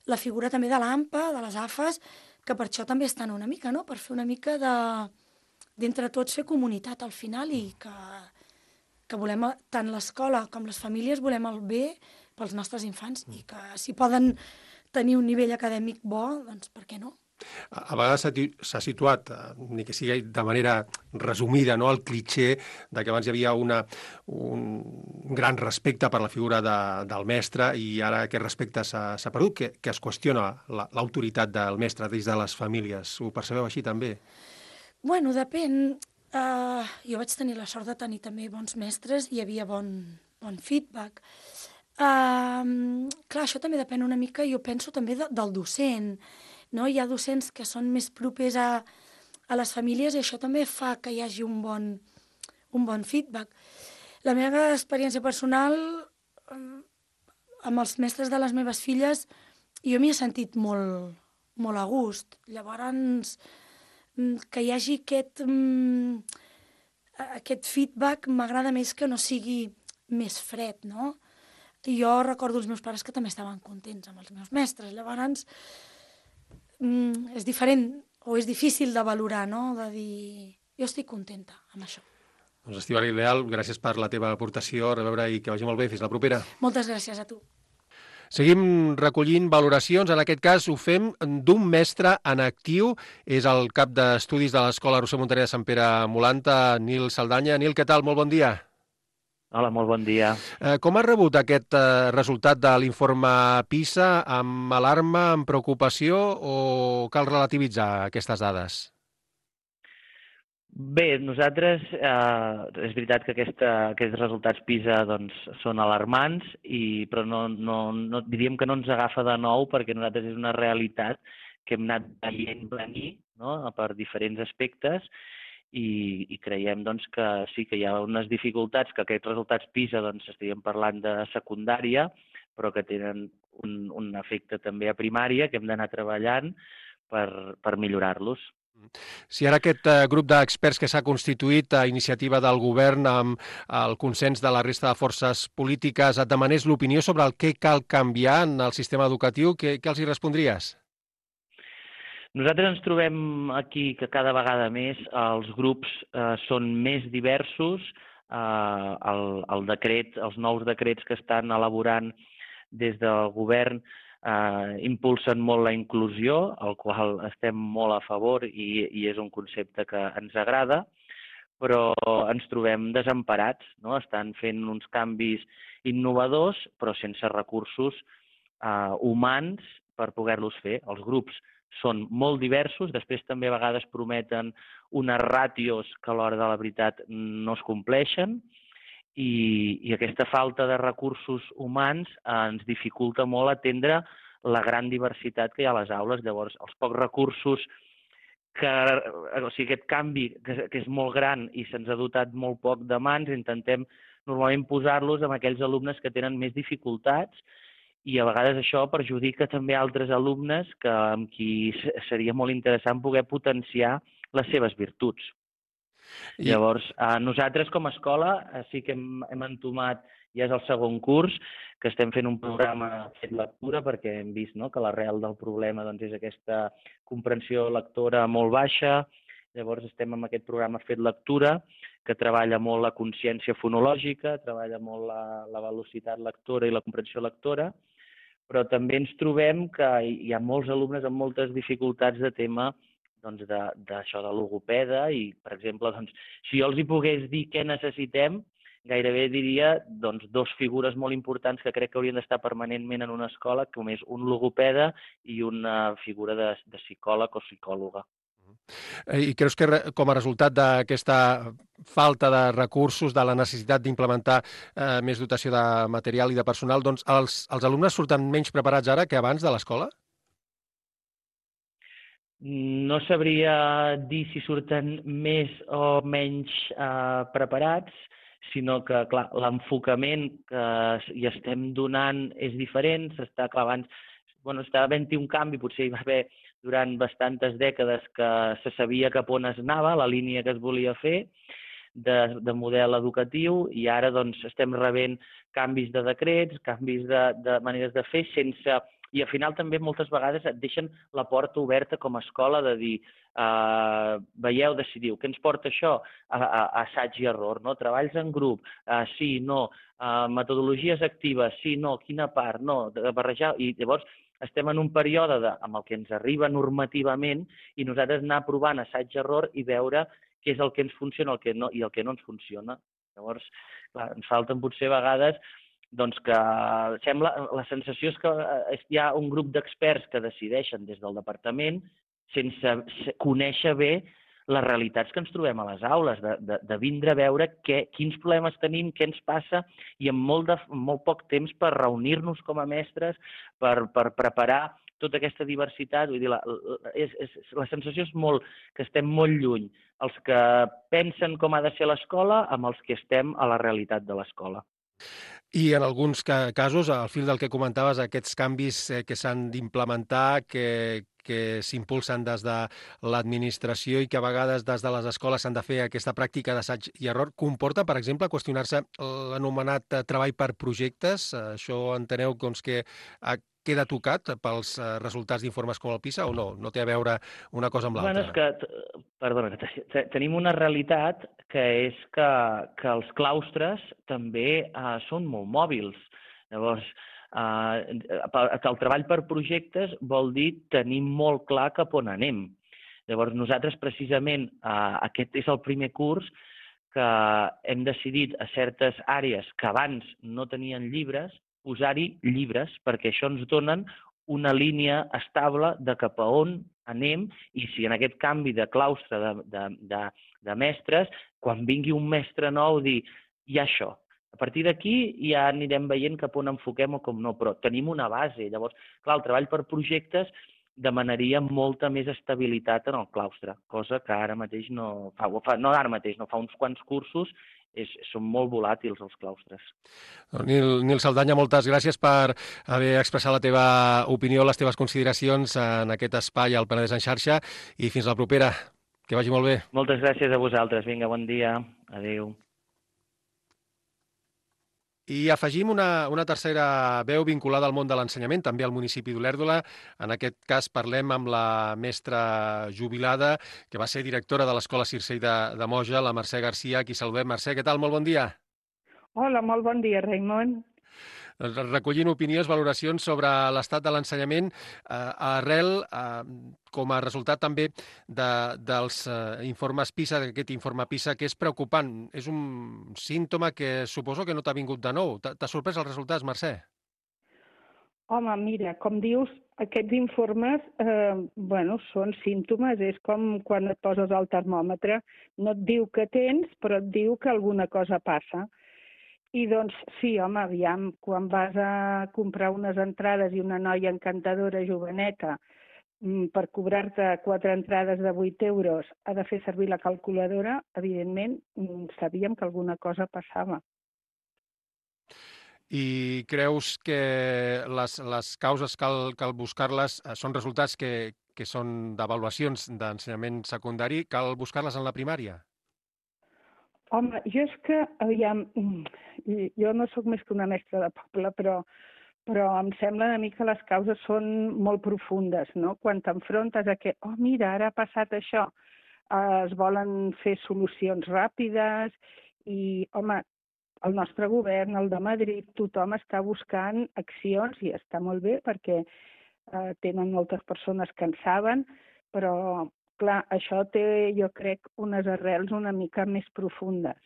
la figura també de l'AMPA, de les AFAs, que per això també estan una mica, no? Per fer una mica d'entre tots fer comunitat al final, i que volem, tant l'escola com les famílies, volem el bé pels nostres infants, i que si poden tenir un nivell acadèmic bo, doncs per què no? A vegades s'ha situat, ni que sigui de manera resumida, no, el clitxé de que abans hi havia un gran respecte per la figura del mestre, i ara aquest respecte s'ha perdut, que es qüestiona l'autoritat del mestre des de les famílies. Ho percebeu així també? Bueno, depèn. Jo vaig tenir la sort de tenir també bons mestres, i hi havia bon feedback. Clar, això també depèn una mica, jo penso també del docent, no? Hi ha docents que són més propers a les famílies, i això també fa que hi hagi un bon feedback. La meva experiència personal amb els mestres de les meves filles, jo m'hi he sentit molt, molt a gust. Llavors, que hi hagi aquest feedback m'agrada més, que no sigui més fred, no? Jo recordo els meus pares que també estaven contents amb els meus mestres. Llavors, és diferent, o és difícil de valorar, no? De dir, jo estic contenta amb això. Doncs Estíbaliz Leal, gràcies per la teva aportació, a reveure, i que vagi molt bé. Fins la propera. Moltes gràcies a tu. Seguim recollint valoracions, en aquest cas ho fem d'un mestre en actiu, és el cap d'estudis de l'Escola Roser Montaner de Sant Pere Molanta, Nil Saldaña. Nil, què tal? Molt bon dia. Hola, molt bon dia. Com has rebut aquest resultat de l'informe PISA? Amb alarma, amb preocupació, o cal relativitzar aquestes dades? Bé, nosaltres, és veritat que aquests resultats PISA doncs, són alarmants, però no diríem que no ens agafa de nou, perquè nosaltres és una realitat que hem anat veient venir, no?, per diferents aspectes, i creiem doncs, que sí que hi ha unes dificultats, que aquests resultats PISA doncs, estaríem parlant de secundària, però que tenen un efecte també a primària, que hem d'anar treballant per millorar-los. Si ara aquest grup d'experts que s'ha constituït a iniciativa del govern amb el consens de la resta de forces polítiques et demanés l'opinió sobre el que cal canviar en el sistema educatiu, què els hi respondries? Nosaltres ens trobem aquí que cada vegada més els grups són més diversos. Els nous decrets que estan elaborant des del govern impulsen molt la inclusió, al qual estem molt a favor, i és un concepte que ens agrada, però ens trobem desemparats, no? Estan fent uns canvis innovadors, però sense recursos humans per poder-los fer. Els grups són molt diversos, després també a vegades prometen unes ràtios que a l'hora de la veritat no es compleixen, i aquesta falta de recursos humans ens dificulta molt atendre la gran diversitat que hi ha a les aules. Llavors, els pocs recursos, aquest canvi que és molt gran i se'ns ha dotat molt poc de mans, intentem normalment posar-los amb aquells alumnes que tenen més dificultats, i a vegades això perjudica també altres alumnes amb qui seria molt interessant poder potenciar les seves virtuts. Llavors, nosaltres com a escola sí que hem entomat, ja és el segon curs, que estem fent un programa fet lectura, perquè hem vist que l'arrel del problema és aquesta comprensió lectora molt baixa. Llavors estem amb aquest programa fet lectura, que treballa molt la consciència fonològica, treballa molt la velocitat lectora i la comprensió lectora, però també ens trobem que hi ha molts alumnes amb moltes dificultats de tema d'això de logopeda i, per exemple, si jo els hi pogués dir què necessitem, gairebé diria dos figures molt importants que crec que haurien d'estar permanentment en una escola, com és un logopeda i una figura de psicòleg o psicòloga. I creus que com a resultat d'aquesta falta de recursos, de la necessitat d'implementar més dotació de material i de personal, doncs els alumnes surten menys preparats ara que abans de l'escola? No sabria dir si surten més o menys preparats, sinó que, clar, l'enfocament que hi estem donant és diferent, està havent-hi un canvi, potser hi va haver durant bastantes dècades que se sabia cap on es anava, la línia que es volia fer de model educatiu, i ara estem rebent canvis de decrets, canvis de maneres de fer, i al final també moltes vegades et deixen la porta oberta com a escola de dir veieu, decidiu, què ens porta això? Assaig i error, no? Treballs en grup, sí, no, metodologies actives, sí, no, quina part, no, de barrejar, i llavors estem en un període amb el que ens arriba normativament i nosaltres anar provant assaig-error i veure què és el que ens funciona i el que no ens funciona. Llavors, clar, ens falten potser vegades que la sensació és que hi ha un grup d'experts que decideixen des del departament sense conèixer bé les realitats que ens trobem a les aules, de vindre a veure quins problemes tenim, què ens passa, i amb molt poc temps per reunir-nos com a mestres, per preparar tota aquesta diversitat. Vull dir, la sensació és que estem molt lluny, els que pensen com ha de ser l'escola amb els que estem a la realitat de l'escola. I en alguns casos, al fil del que comentaves, aquests canvis que s'han d'implementar, que s'impulsen des de l'administració i que a vegades des de les escoles s'han de fer aquesta pràctica d'assaig i error, comporta, per exemple, qüestionar-se l'anomenat treball per projectes. Això enteneu que queda tocat pels resultats d'informes com el PISA o no? No té a veure una cosa amb l'altra? És que tenim una realitat que és que els claustres també són molt mòbils. Llavors, el treball per projectes vol dir tenir molt clar cap on anem. Llavors, nosaltres precisament, aquest és el primer curs que hem decidit a certes àrees que abans no tenien llibres, posar-hi llibres, perquè això ens donen una línia estable de cap a on anem, i si en aquest canvi de claustre de mestres, quan vingui un mestre nou, dir, hi ha això. A partir d'aquí ja anirem veient cap on enfoquem o com no, però tenim una base. Llavors, clar, el treball per projectes demanaria molta més estabilitat en el claustre, cosa que ara mateix no fa uns quants cursos, són molt volàtils els claustres. Nil Saldaña, moltes gràcies per haver expressat la teva opinió, les teves consideracions en aquest espai al Penedès en xarxa, i fins la propera. Que vagi molt bé. Moltes gràcies a vosaltres. Vinga, bon dia. Adéu. I afegim una tercera veu vinculada al món de l'ensenyament, també al municipi d'Olèrdola. En aquest cas parlem amb la mestra jubilada, que va ser directora de l'Escola Circell de Moja, la Mercè Garcia, a qui saludem. Mercè, què tal? Molt bon dia. Hola, molt bon dia, Raimon. Recollint opinions, valoracions sobre l'estat de l'ensenyament arrel, com a resultat també dels informes PISA, d'aquest informe PISA, que és preocupant. És un símptoma que suposo que no t'ha vingut de nou. T'ha sorprès els resultats, Mercè? Home, mira, com dius, aquests informes són símptomes. És com quan et poses el termòmetre. No et diu que tens, però et diu que alguna cosa passa. I doncs sí, home, aviam, quan vas a comprar unes entrades i una noia encantadora, joveneta, per cobrar-te 4 entrades de 8 euros ha de fer servir la calculadora, evidentment sabíem que alguna cosa passava. I creus que les causes cal buscar-les són resultats que són d'avaluacions d'ensenyament secundari? Cal buscar-les en la primària? Home, jo és que, aviam, jo no sóc més que una mestra de poble, però em sembla una mica que les causes són molt profundes, no? Quan t'enfrontes a que, mira, ara ha passat això, es volen fer solucions ràpides i, home, el nostre govern, el de Madrid, tothom està buscant accions i està molt bé perquè tenen moltes persones que en saben, però, clar, això té, jo crec, unes arrels una mica més profundes.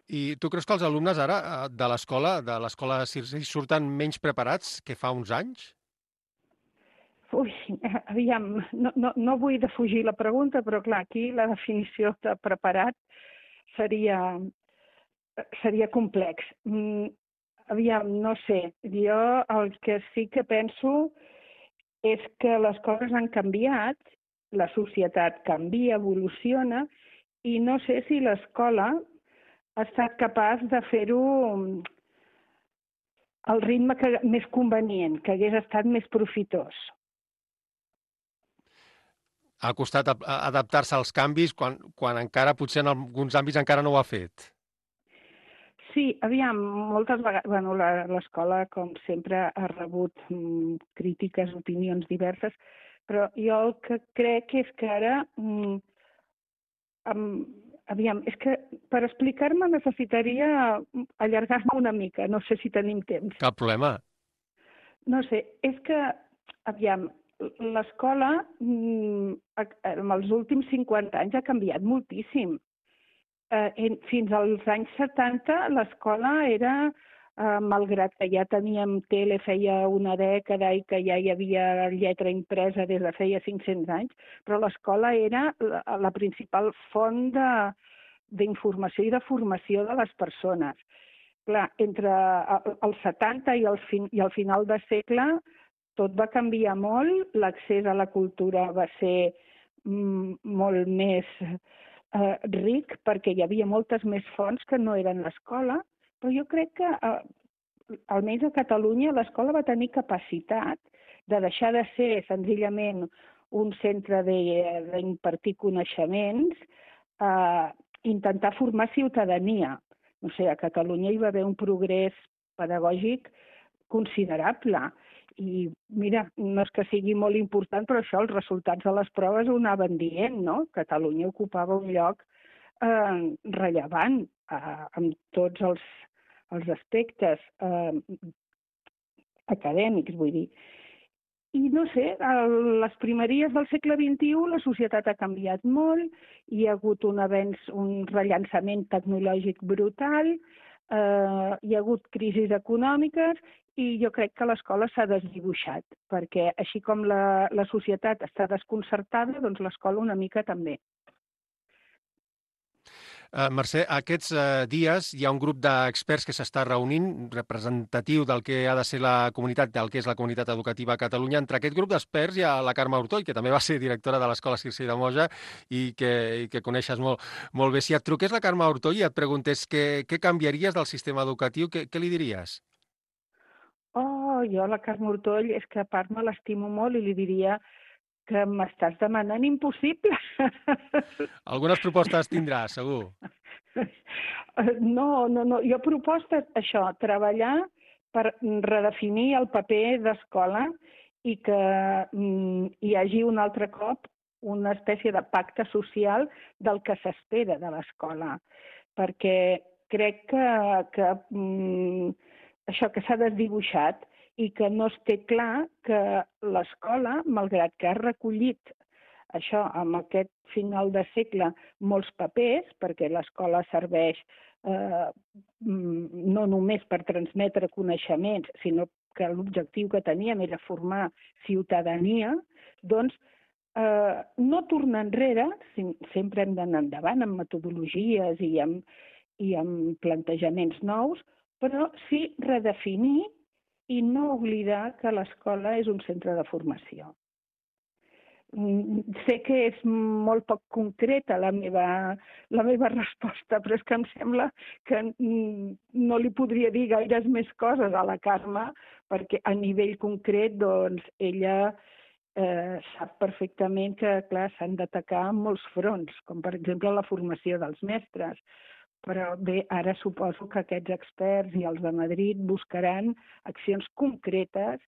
I tu creus que els alumnes ara de l'escola Circei, surten menys preparats que fa uns anys? Ui, aviam, no vull defugir la pregunta, però clar, aquí la definició de preparat seria complex. Aviam, no sé, jo el que sí que penso és que les coses han canviat, la societat canvia, evoluciona, i no sé si l'escola ha estat capaç de fer-ho al ritme més convenient, que hagués estat més profitós. Ha costat adaptar-se als canvis quan encara, potser en alguns àmbits encara no ho ha fet. Sí, aviam, moltes vegades, l'escola, com sempre, ha rebut crítiques, opinions diverses, però jo el que crec és que ara, aviam, és que per explicar-me necessitaria allargar-me una mica, no sé si tenim temps. Cap problema. No sé, és que, aviam, l'escola en els últims 50 anys ha canviat moltíssim. Fins als anys 70 l'escola era, malgrat que ja teníem tele feia una dècada i que ja hi havia lletra impresa des de feia 500 anys, però l'escola era la principal font d'informació i de formació de les persones. Clar, entre els 70 i el final de segle tot va canviar molt, l'accés a la cultura va ser molt més ric perquè hi havia moltes més fonts que no eren l'escola, però jo crec que, almenys a Catalunya, l'escola va tenir capacitat de deixar de ser senzillament un centre d'impartir coneixements, intentar formar ciutadania. No sé, a Catalunya hi va haver un progrés pedagògic considerable. I mira, no és que sigui molt important, però això, els resultats de les proves ho anaven dient, no? Catalunya ocupava un lloc rellevant en tots els aspectes acadèmics, vull dir. I no sé, a les primeries del segle XXI la societat ha canviat molt, hi ha hagut un avenç, un rellançament tecnològic brutal, hi ha hagut crisis econòmiques i jo crec que l'escola s'ha desdibuixat, perquè així com la societat està desconcertada, doncs l'escola una mica també. Mercè, aquests dies hi ha un grup d'experts que s'està reunint, representatiu del que ha de ser la comunitat, del que és la comunitat educativa a Catalunya. Entre aquest grup d'experts hi ha la Carme Ortoll, que també va ser directora de l'Escola Circei de Moja i que coneixes molt bé. Si et truqués la Carme Ortoll i et preguntés què canviaries del sistema educatiu, què li diries? Jo la Carme Ortoll és que a part me l'estimo molt i li diria que m'estàs demanant impossible. Algunes propostes tindràs, segur. No. Jo propostes, això, treballar per redefinir el paper d'escola i que hi hagi un altre cop una espècie de pacte social del que s'espera de l'escola. Perquè crec que això que s'ha desdibuixat i que no es té clar que l'escola, malgrat que ha recollit això amb aquest final de segle molts papers, perquè l'escola serveix no només per transmetre coneixements, sinó que l'objectiu que teníem era formar ciutadania, doncs no tornar enrere, sempre hem d'anar endavant amb metodologies i amb plantejaments nous, però sí redefinir i no oblidar que l'escola és un centre de formació. Sé que és molt poc concreta la meva resposta, però és que em sembla que no li podria dir gaires més coses a la Carme, perquè a nivell concret doncs, ella sap perfectament que s'han d'atacar molts fronts, com per exemple la formació dels mestres. Però bé, ara suposo que aquests experts i els de Madrid buscaran accions concretes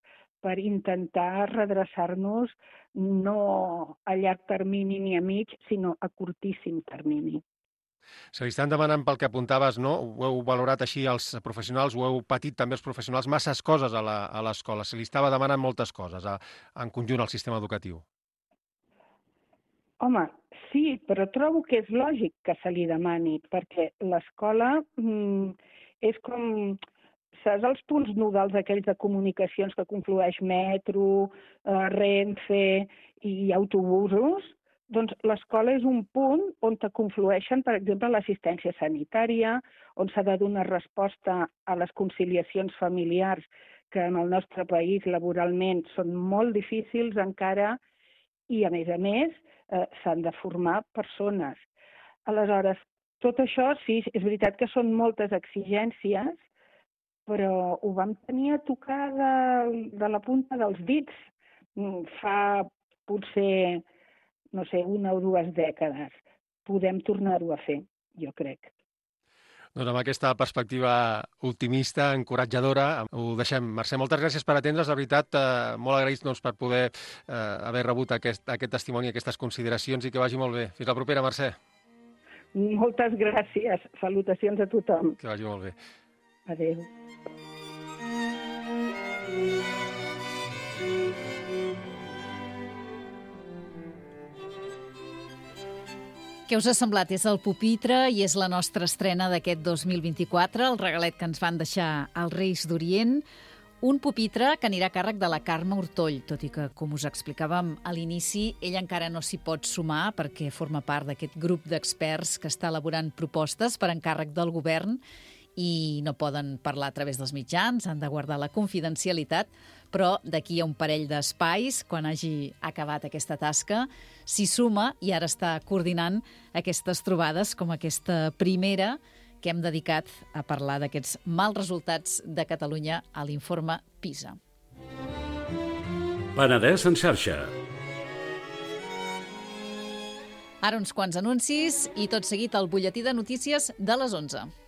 per intentar redreçar-nos no a llarg termini ni a mig, sinó a curtíssim termini. Se li estan demanant pel que apuntaves, no? Ho heu valorat així els professionals, ho heu patit també els professionals, masses coses a l'escola. Se li estava demanant moltes coses en conjunt al sistema educatiu. Home, sí, però trobo que és lògic que se li demani, perquè l'escola és com, saps, els punts nodals aquells de comunicacions que conflueix metro, Renfe i autobusos. Doncs l'escola és un punt on te conflueixen, per exemple, l'assistència sanitària, on s'ha de donar resposta a les conciliacions familiars que en el nostre país laboralment són molt difícils encara i, a més, s'han de formar persones. Aleshores, tot això, sí, és veritat que són moltes exigències, però ho vam tenir a tocar de la punta dels dits fa potser, no sé, 1 o 2 dècades. Podem tornar-ho a fer, jo crec. Doncs amb aquesta perspectiva optimista, encoratjadora, ho deixem. Mercè, moltes gràcies per atendre's. De veritat, molt agraïts per poder haver rebut aquest testimoni, aquestes consideracions, i que vagi molt bé. Fins la propera, Mercè. Moltes gràcies. Salutacions a tothom. Que vagi molt bé. Adéu. Què us ha semblat? És el Pupitre i és la nostra estrena d'aquest 2024, el regalet que ens van deixar els Reis d'Orient. Un pupitre que anirà a càrrec de la Carme Ortoll, tot i que, com us explicàvem a l'inici, ella encara no s'hi pot sumar perquè forma part d'aquest grup d'experts que està elaborant propostes per encàrrec del govern i no poden parlar a través dels mitjans, han de guardar la confidencialitat, però d'aquí a un parell d'espais, quan hagi acabat aquesta tasca, s'hi suma i ara està coordinant aquestes trobades com aquesta primera que hem dedicat a parlar d'aquests mals resultats de Catalunya a l'informe PISA. Penedès en xarxa. Ara uns quants anuncis i tot seguit el butlletí de notícies de les 11.